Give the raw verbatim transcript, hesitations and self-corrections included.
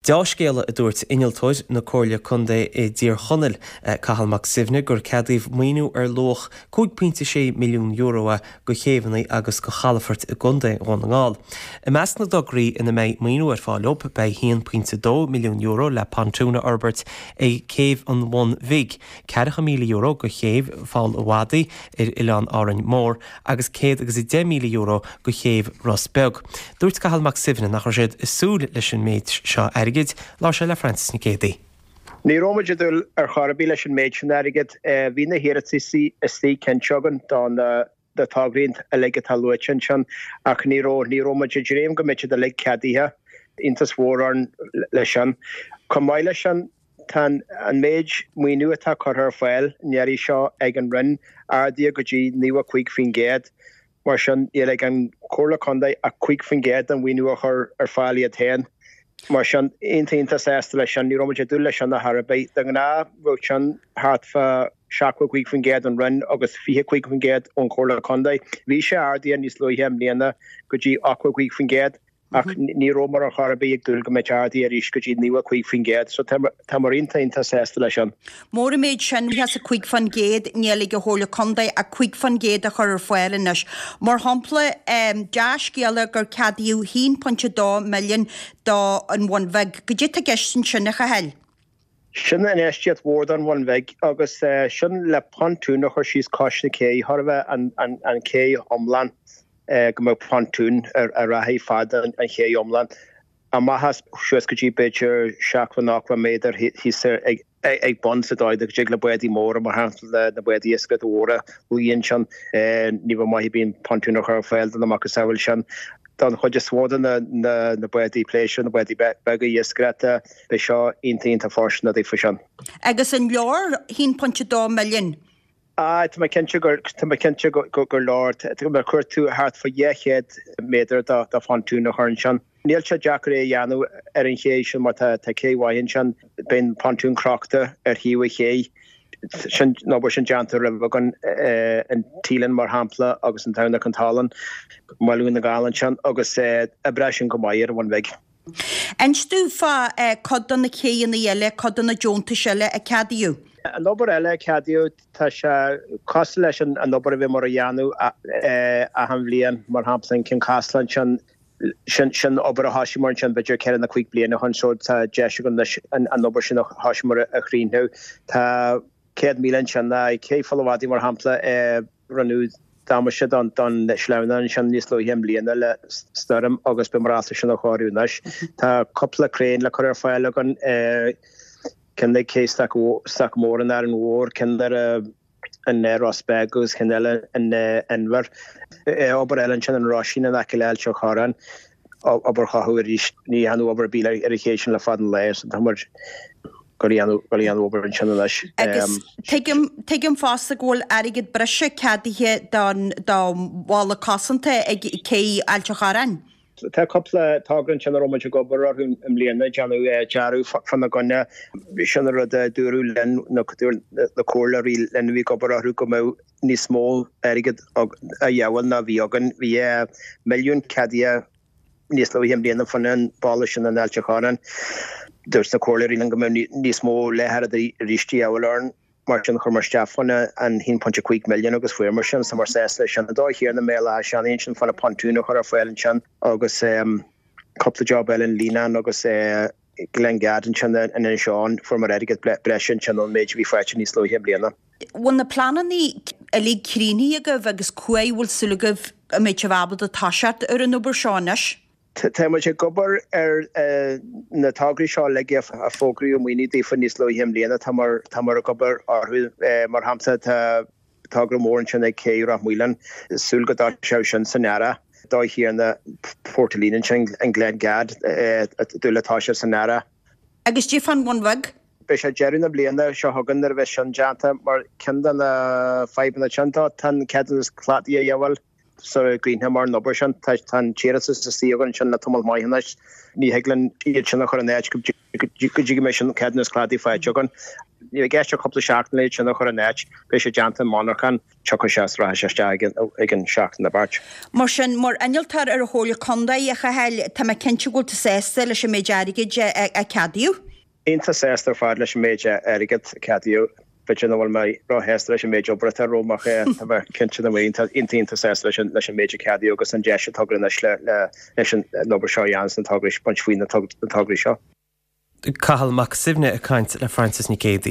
Dea-scéala a dúirt innealtóir na Comhairle Contae i dTír Chonaill Cathal Mac Suibhne gur ceadaíodh maoiniú ar luach cúig pointe sé milliún euro do chéibheanna agus do chalafoirt i gContae Dhún na nGall. I measc na dtograí ina mbeidh maoiniú ar fáil leo beidh haon pointe dó milliún euro le pontún a fhorbairt ag céibh an Bhun Bhig, ceathracha míle euro go chéibh Pholl an Mhadaidh ar Oileán Árainn Mhór agus céad agus a deich míle euro go chéibh Ros Beag. Dúirt Cathal Mac Suibhne nach raibh siad ag súil leis an méid seo airgid, labhair sé le Francis Nic Géadaigh. Ní raibh muid ag dúil ar chor ar bith leis an méid sin airgid. Bhí na hiarrataí istigh cinnte againn don na tograí uilig atá luaite ansin ach ní raibh ní raibh muid ag dréim go mbeadh siad uilig ceadaithe. Iontas mhór orainn leis sin. Chomh maith leis sin tá an méid maoiniú atá curtha ar fáil an iarraidh seo ag an Roinn ardaithe go dtí naocha cúig faoin gcéad. Mar sin níl ag an Chomhairle Contae ach cúig faoin gcéad den mhaoiniú a chur ar fáil iad féin. Mar sin iontach iontach sásta leis sin, ní raibh muid ag dúil leis sin ar chor ar bith. De ghnáth bheadh sin thart fá seachtó cúig faoin gcéad ón Roinn agus fiche cúig faoin gcéad ón Chomhairle Contae. Bhí sé ardaithe níos luaithe i mbliana go dtí ochtó cúig faoin gcéad ach ní rabhamar ar chor ar bith ag dúil go mbeadh ardaithe arís go dtí naocha cúig faoin gcéad. So táimid iontach iontach sásta leis sin. Mór an méid sin is a cúig faoin gcéad níl ag an Chomhairle Contae ach cúig faoin gcéad a chur ar fáil anois. Mar shampla dea-scéala gur ceadaíodh haon pointe dó milliún do an Bhun Bheag. Goidé atá i gceist ansin a Chathail. Sin infheistíocht mhór don Bhun Bheag agus sin le pontún a chur síos cois na cé, chóir a bheith an ché iomlán. go mbeadh pontún a rachaidh fad an ché iomlán amach as suas go dtí b'fhéidir seachtó nócha méadar thíos ag bun sa dóigh go dtig le bádaí móra mar shampla na bádaí iascaireachta mhóra luí ansin. Ní bheadh maith ar bith an pontún a chur ar fáil do na macasamhail sin. Don chuid is mó de na bádaí pléisiúir, na bádaí beaga iascaireachta, beidh seo iontach iontach fóirsteanach daofa sin. Agus an leor haon pointe dó milliún? Ah, tá mé cinnte gur tá mé cinnte gur leor. Má chuir tú thart fá dhá chéad méadar de phontún a chur ansin. Níl sé deacair é a dhéanamh ar an ché sin mar tá tá cé mhaith ansin. Beidh an pontún crochta ar thaobh an ché. Sin an obair sin déanta roimhe againn in Teelin mar shampla agus in Tamhnach an tSalainn, i mBaile Dhún na nGall ansin agus oibreoidh sin go maith ar an Bhun Bhig. Inis dúinn fá cuid de na céanna eile, cuid de na deontais eile a ceadaíodh. An obair eile a ceadaíodh, tá sé cosúil leis an obair a bhíomar a dhéanamh achan bhliain, mar shampla an Ceann Caslach ansin, sin sin obair a thosaíomar ansin b'fhéidir ceithre nó cúig bliana ó shin so tá deis againn anois an obair sin a thosaíomar a chríochnú. Tá céad míle ansin, Cé Pholl an Mhadaidh mar shampla, rinneadh damáiste don sleamhnán ansin níos luaithe i mbliana le stoirm agus beimid ábalta sin a chóiriú anois. Tá cúpla craein le cur ar fáil againn, ceann ag Cé Staic Mhór in Árainn Mhór, ceann ar in Ros Beag agus ceann eile in Inbhir. Obair eile ansin in Roisín in aice le Ailt an Chorráin, obair chothú arís. Ní dhearnadh obair ar bith ar an ché sin le fada an lá so tá muid ag dul a dhéanamh obair ansin anois. Agus tuigim, tuigim fosta go bhfuil airgead breise ceadaithe don, do bhalla cosanta ag cé Ailt an Chorráin. Tá cúpla togra ansin a raibh muid ag obair orthu i mbliana, ag déanamh dearadh fána gcoinne. Sin an rud a dúradh linn, nó dúirt na comhairleoirí linn a bhí ag obair orthu go mbeadh níos mó airgid a dhíobháil ná a bhí againn. Bhí milliún ceadaithe níos luaithe i mbliana fán an bhalla sin in Ailt an Chorráin. Dúirt na comhairleoirí linn go mbeadh níos mó leath oiread arís de dhíobháil orainn. Mar sin chuir muid isteach fán an haon pointe cúig milliún agus fuair muid sin, so tá muid sásta leis sin. An dóigh chéanna i mBéal Átha Seanaidh ansin fán pontún a chur ar fáil ansin agus cúpla job eile in Líonán agus Glengad ansin in Inis Eoghain, fuair muid airgead breise ansin ón méid a bhí faighte níos luaithe i mbliana. Bhfuil na pleananna uilig críochnaithe agaibh agus cá huair a bhfuil súil agaibh go mbeidh sibh ábalta toiseacht ar an obair seo anois? Tá muid ag obair ar na tograí seo uilig a fógraíodh maoiniú daofa níos luaithe i mbliana. Tá muid ag obair orthu. Mar shampla, tá togra mór ansin ag Cé Ráth Maoláin, súil go dtoiseoidh sin san earrach. Dóigh chéanna Port Ellen ansin in Glengad, dúil le toiseacht san earrach. Agus goidé fán Bhun Bheag? Beidh sé deireadh na bliana seo chugainn nuair a bheidh sin déanta mar ceann de na fadhbanna sin tá an ceadúnas cladaigh a dhíobháil. Sula gcríochnóimid an obair sin, tá an t-iarratas istigh againn ansin le tamall maith anois. Ní thig linn iad sin a chur in áit go dtí go mbeidh sin ceadúnas cladaigh faighte againn. Ní i gceist ach cúpla seachtain é sin a chur in áit, beidh sé déanta i monarchan, tiocfaidh sé is rachaidh sé isteach ag an seachtain na Mairt. Mar sin, mar innealtóir ar an Chomhairle Contae, a Chathail, tá mé cinnte go bhfuil tú sásta leis an méid airgid a ceadaíodh. Iontach sásta ar fad leis an méid airgid a ceadaíodh. B'fhéidir nach bhfuil mé róshásta leis an méid obair atá romham ach tá mé cinnte go bhfuil iontach iontach sásta leis an leis an méid a ceadaíodh agus an deis atá againn anois le leis an obair seo a dhéanamh sna tograí, baint faoi na tograí seo. Cathal Mac Suibhne ag caint le Frances Nic Géadaigh.